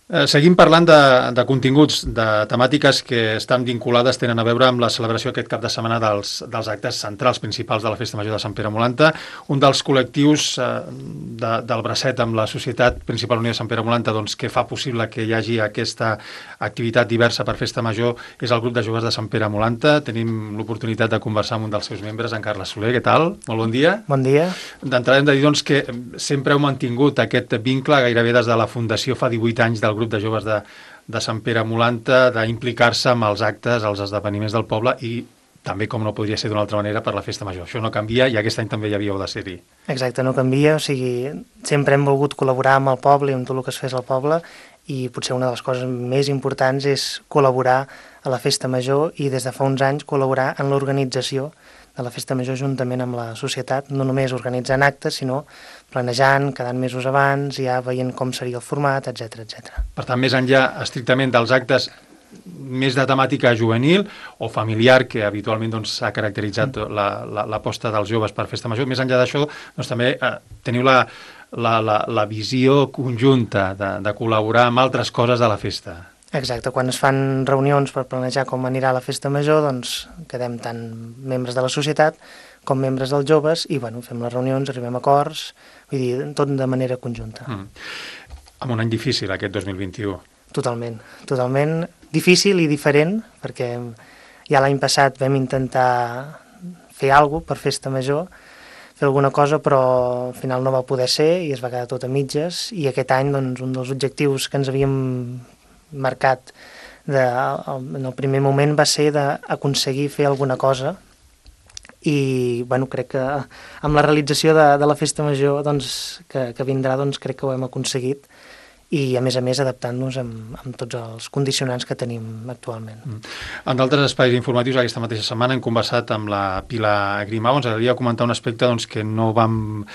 Seguim parlant de continguts, de temàtiques que estan vinculades, tenen a veure amb la celebració aquest cap de setmana dels actes centrals principals de la Festa Major de Sant Pere Molanta. Un dels col·lectius del bracet amb la Societat Principal Unió de Sant Pere Molanta, doncs, que fa possible que hi hagi aquesta activitat diversa per Festa Major és el grup de joves de Sant Pere Molanta. Tenim l'oportunitat de conversar amb un dels seus membres, en Carles Soler. Què tal? Molt bon dia. Bon dia. D'entrada hem de dir doncs, que sempre heu mantingut aquest vincle gairebé des de la fundació fa 18 anys del grup de joves de Sant Pere Molanta, d'implicar-se amb els actes, els esdeveniments del poble i també, com no podria ser d'una altra manera, per la Festa Major. Això no canvia i aquest any també hi havíeu de ser-hi. Exacte, no canvia, o sigui, sempre hem volgut col·laborar amb el poble i amb tot el que es fes al poble i potser una de les coses més importants és col·laborar a la Festa Major i des de fa uns anys col·laborar en l'organització de la Festa Major juntament amb la societat, no només organitzant actes, sinó planejant, quedant mesos abans, ja veient com seria el format, etc etc. Per tant, més enllà estrictament dels actes més de temàtica juvenil o familiar, que habitualment s'ha caracteritzat l'aposta dels joves per Festa Major, més enllà d'això, doncs, també teniu la visió conjunta de col·laborar amb altres coses de la festa. Exacte, quan es fan reunions per planejar com anirà la Festa Major, doncs quedem tant membres de la societat com membres dels joves i fem les reunions, arribem a acords, vull dir, tot de manera conjunta. Amb un any difícil, aquest 2021. Totalment difícil i diferent, perquè ja l'any passat vam intentar fer alguna cosa per Festa Major, fer alguna cosa, però al final no va poder ser i es va quedar tot a mitges, i aquest any doncs, un dels objectius que ens havíem marcat en el primer moment va ser d'aconseguir fer alguna cosa i crec que amb la realització de la Festa Major doncs, que vindrà crec que ho hem aconseguit i a més adaptant-nos amb tots els condicionants que tenim actualment. En d'altres espais informatius aquesta mateixa setmana hem conversat amb la Pilar Grimau. Ens agradaria comentar un aspecte que no vam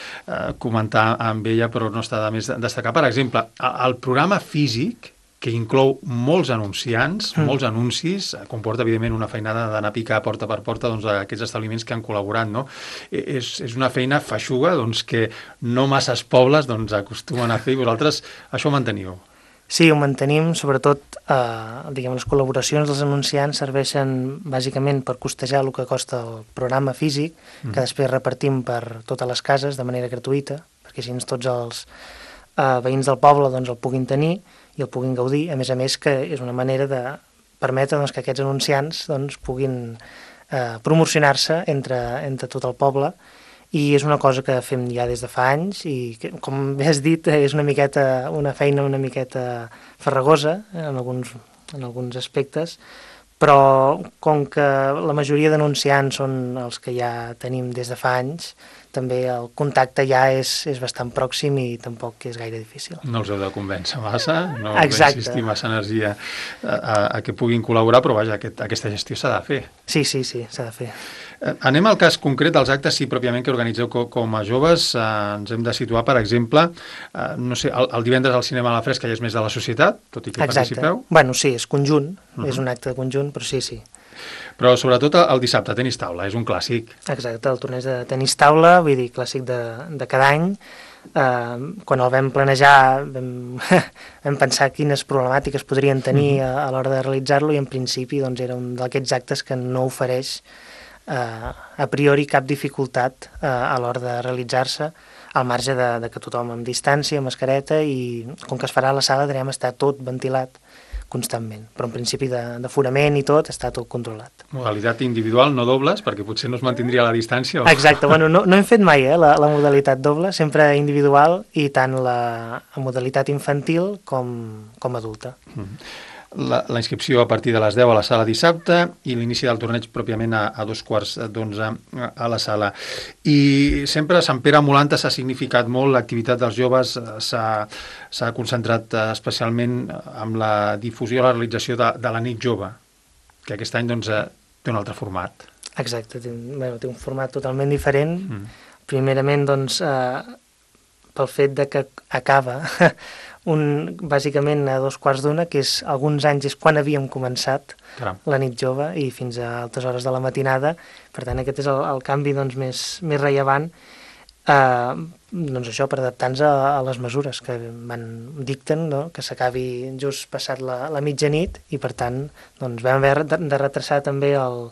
comentar amb ella però no està de més destacar. Per exemple, el programa físic que inclou molts anunciants, molts anuncis, comporta, evidentment, una feinada d'anar a picar porta per porta aquests establiments que han col·laborat, no? És una feina feixuga que no masses pobles acostumen a fer i vosaltres això ho manteniu. Sí, ho mantenim, sobretot les col·laboracions dels anunciants serveixen bàsicament per costejar el que costa el programa físic, que després repartim per totes les cases de manera gratuïta, perquè així tots els veïns del poble el puguin tenir i el puguin gaudir, a més que és una manera de permetre que aquests anunciants puguin promocionar-se entre tot el poble i és una cosa que fem ja des de fa anys i que, com bé has dit, és una feina una miqueta farragosa en alguns aspectes, però com que la majoria d'anunciants són els que ja tenim des de fa anys, també el contacte ja és bastant pròxim i tampoc és gaire difícil. No els heu de convèncer massa, no heu d'insistir massa energia a que puguin col·laborar, però vaja, aquesta gestió s'ha de fer. Sí, s'ha de fer. Anem al cas concret dels actes, sí, pròpiament, que organitzeu com a joves. Ens hem de situar, per exemple, no sé, el divendres al cinema a la fresca ja és més de la societat, tot i que participeu. Sí, és conjunt, és un acte conjunt, però sí. Però sobretot el dissabte, tenis taula, és un clàssic. Exacte, el torneig de tenis taula, vull dir, clàssic de cada any. Quan el vam planejar vam pensar quines problemàtiques podrien tenir a l'hora de realitzar-lo i en principi era un d'aquests actes que no ofereix a priori cap dificultat a l'hora de realitzar-se, al marge de que tothom amb distància, amb mascareta, i com que es farà a la sala direm estar tot ventilat constantment, però en principi d'aforament i tot està tot controlat. Modalitat individual, no dobles, perquè potser no es mantindria la distància. Exacte, no hem fet mai la modalitat doble, sempre individual i tant la modalitat infantil com adulta. La inscripció a partir de les 10 a la sala dissabte i l'inici del torneig pròpiament a 2:15 a la sala. I sempre a Sant Pere Molanta s'ha significat molt, l'activitat dels joves s'ha concentrat especialment amb la difusió i la realització de la nit jove, que aquest any té un altre format. Exacte, té un format totalment diferent. Primerament, pel fet de que acaba bàsicament a 2:15, que és alguns anys és quan havíem començat la nit jove i fins a altes hores de la matinada. Per tant, aquest és el canvi més rellevant Doncs això, per adaptar-nos a les mesures que dicten, no? Que s'acabi just passat la mitjanit, i per tant doncs vam haver de retrasar també el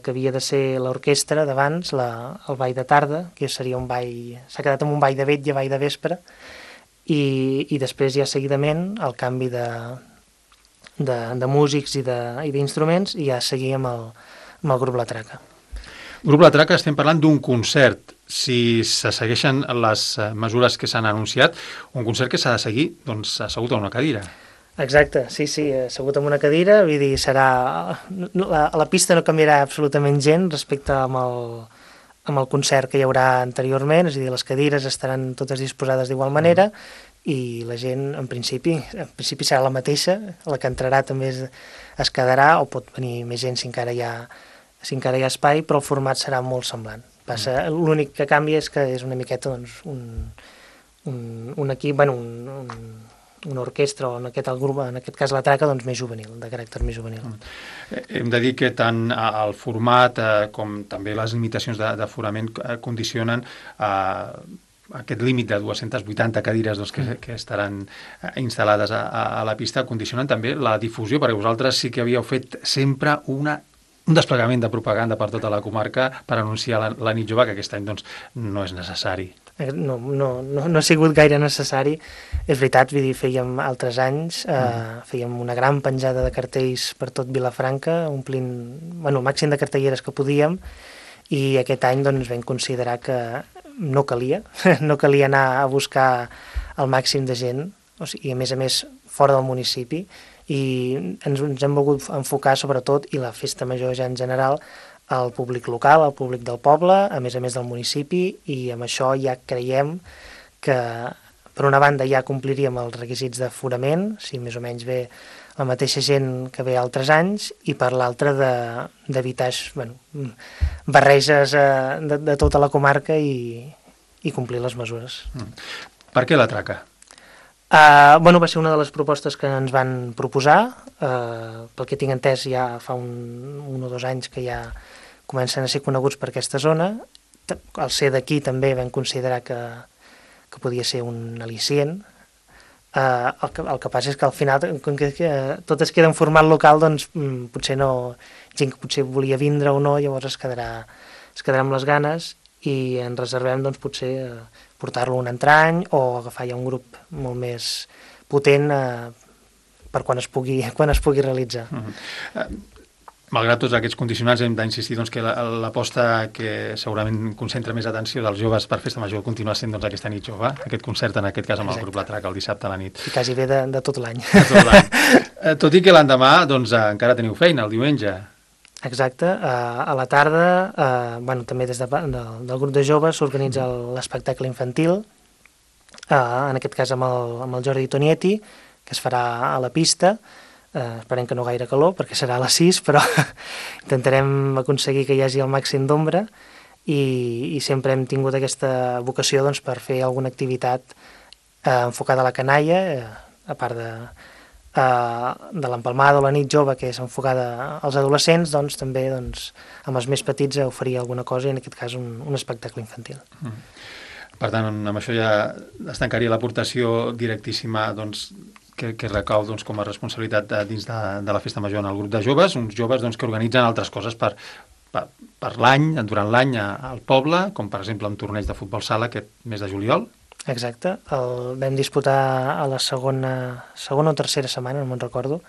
que havia de ser l'orquestra d'abans, el ball de tarda, que seria un ball, s'ha quedat amb un ball de vetlla, ball de vespre, i després ja seguidament el canvi de músics i d'instruments, i ja seguir amb el grup La Traca. Grup La Traca, estem parlant d'un concert. Si se segueixen les mesures que s'han anunciat, un concert que s'ha de seguir doncs, assegut a una cadira. Exacte, sí, assegut en una cadira, vull dir, a la pista no canviarà absolutament gent respecte amb el concert que hi haurà anteriorment, és a dir, les cadires estaran totes disposades d'igual manera, i la gent, en principi serà la mateixa, la que entrarà també es quedarà, o pot venir més gent si encara hi ha espai, però el format serà molt semblant. L'únic que canvia és que és una miqueta doncs, un equip, una orquestra, o en aquest cas La Traca, doncs més juvenil, de caràcter més juvenil. Hem de dir que tant el format com també les limitacions d'aforament condicionen aquest límit de 280 cadires doncs, que estaran instal·lades a la pista, condicionen també la difusió, perquè vosaltres sí que havíeu fet sempre un desplegament de propaganda per tota la comarca per anunciar la nit jove, que aquest any doncs, no és necessari. No ha sigut gaire necessari. És veritat, vull dir, fèiem altres anys, fèiem una gran penjada de cartells per tot Vilafranca, omplint el màxim de cartelleres que podíem, i aquest any doncs, vam considerar que no calia anar a buscar el màxim de gent, i a més fora del municipi, i ens hem volgut enfocar sobretot, i la festa major ja en general, al públic local, al públic del poble, a més del municipi, i amb això ja creiem que per una banda ja compliríem els requisits d'aforament, si més o menys ve la mateixa gent que ve altres anys, i per l'altra d'evitar barreges de tota la comarca i complir les mesures. Per què La Traca? Va ser una de les propostes que ens van proposar, pel que tinc entès ja fa un o 2 anys que ja comencen a ser coneguts per aquesta zona. Al ser d'aquí també vam considerar que podia ser un al·licient. El que passa és que al final, com que tot es queda en format local, doncs potser no, gent que potser volia vindre o no, llavors es quedarà amb les ganes, i ens reservem doncs, potser portar-lo un altre any, o agafar ja un grup molt més potent per quan es pugui realitzar. Malgrat tots aquests condicionants, hem d'insistir doncs, que l'aposta que segurament concentra més atenció dels joves per Festa Major continua sent doncs, aquesta nit jove, aquest concert, en aquest cas amb el grup La Traca, el dissabte a la nit. I quasi ve de tot l'any. Tot i que l'endemà doncs, encara teniu feina, el diumenge. Exacte, a la tarda, també des del grup de joves s'organitza l'espectacle infantil, en aquest cas amb el Jordi Tonietti, que es farà a la pista. Esperem que no gaire calor, perquè serà a les 6, però intentarem aconseguir que hi hagi el màxim d'ombra, i sempre hem tingut aquesta vocació doncs, per fer alguna activitat enfocada a la canalla, a part de l'empalmada o la nit jove, que és enfocada als adolescents, doncs també amb els més petits oferir alguna cosa, i en aquest cas un espectacle infantil. Per tant, amb això ja es tancaria l'aportació directíssima doncs, que recau doncs, com a responsabilitat dins de la Festa Major en el grup de joves, uns joves doncs, que organitzen altres coses per l'any, durant l'any al poble, com per exemple un torneig de futbol sala aquest mes de juliol. Exacte, el vam disputar a la segona o tercera setmana, no me'n recordo,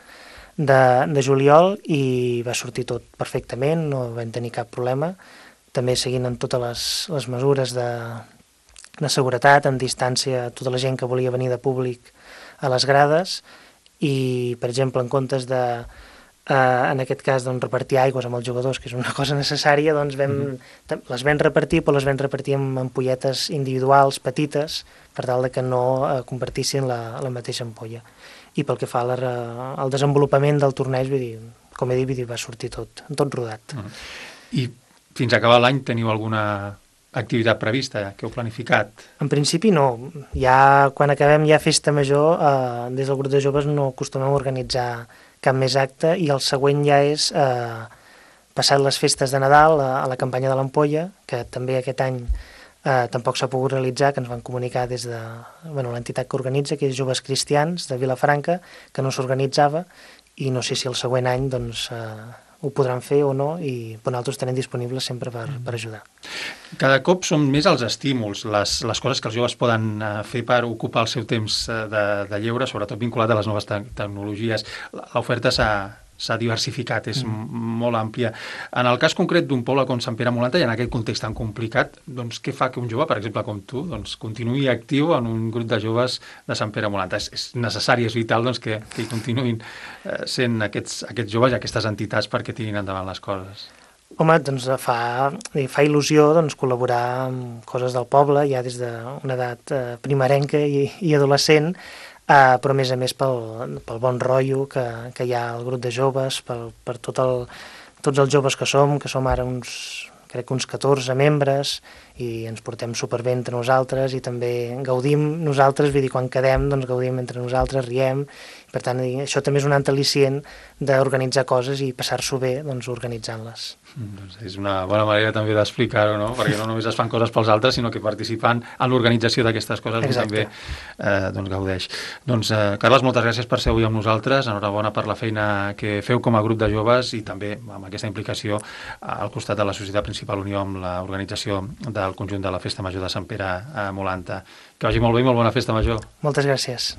de juliol, i va sortir tot perfectament, no vam tenir cap problema, també seguint amb totes les mesures de seguretat, amb distància, tota la gent que volia venir de públic a les grades, i per exemple en comptes de en aquest cas repartir aigües amb els jugadors, que és una cosa necessària, doncs les vam repartir, però les vam repartir amb ampolletes individuals petites, per tal que no compartissin la mateixa ampolla. I pel que fa al desenvolupament del torneig, com he dit, va sortir tot rodat. I fins a acabar l'any teniu alguna activitat prevista que heu planificat? En principi no. Ja quan acabem Festa Major, des del grup de joves no acostumem a organitzar cap més acte, i el següent ja és passat les festes de Nadal, a la campanya de l'ampolla, que també aquest any Tampoc s'ha pogut realitzar, que ens van comunicar des de l'entitat que organitza, que és Joves Cristians de Vilafranca, que no s'organitzava, i no sé si el següent any doncs, ho podran fer o no, i nosaltres tenim disponibles sempre per ajudar. Cada cop són més els estímuls, les coses que els joves poden fer per ocupar el seu temps de lleure, sobretot vinculat a les noves tecnologies. L'oferta s'ha diversificat, és molt àmplia. En el cas concret d'un poble com Sant Pere Molanta, i en aquest context tan complicat, doncs què fa que un jove, per exemple com tu, doncs, continuï actiu en un grup de joves de Sant Pere Molanta? És necessari, és vital doncs, que hi continuïn sent aquests joves i aquestes entitats perquè tirin endavant les coses. Home, doncs fa il·lusió col·laborar amb coses del poble, ja des d'una edat primerenca i adolescent, però a més pel bon rotllo que hi ha al grup de joves, per tots els joves que som ara crec que uns 14 membres, i ens portem superbé entre nosaltres i també gaudim nosaltres, vull dir, quan quedem doncs gaudim entre nosaltres, riem, per tant això també és un altre al·licient d'organitzar coses i passar-s'ho bé doncs organitzant-les. Doncs és una bona manera també d'explicar-ho, no? Perquè no només es fan coses pels altres, sinó que participen en l'organització d'aquestes coses també gaudeix. Doncs, Carles, moltes gràcies per ser avui amb nosaltres, enhorabona per la feina que feu com a grup de joves i també amb aquesta implicació al costat de la Societat Principal Unió amb l'organització del conjunt de la Festa Major de Sant Pere a Molanta. Que vagi molt bé i molt bona Festa Major. Moltes gràcies.